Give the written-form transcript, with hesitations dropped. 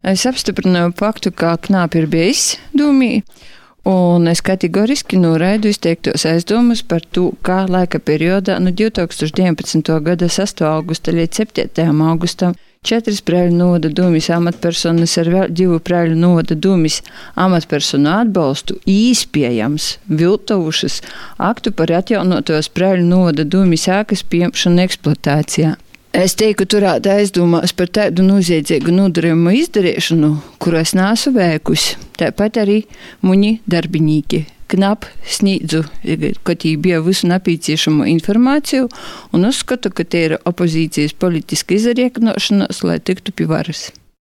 Es apstiprināju faktu, ka Knapi ir bijis Dūmī, un es kategoriski noraidu izteiktos aizdomas par to, kā laika periodā no 2019. gada 6. augusta līdz 7. augustam 4 Preiļu novada Dūmis amatpersonas ar vēl 2 Preiļu novada Dūmis amatpersonu atbalstu īspējams viltojušas aktu par atjaunotos Preiļu novada Dūmis ēkas pieņemšanu eksploatācijā. Es teiktu, turēt aizdomās par tādu noziedzīgu nodarījumu izdarīšanu, kuru es neesmu veikusi. Tāpat arī muņi darbinīki Knapi sniedzu, kad viņi bija visu nepieciešamo informāciju, un uzskatu, ka tie ir opozīcijas politiska izrēķināšanās, lai tiktu pie varas.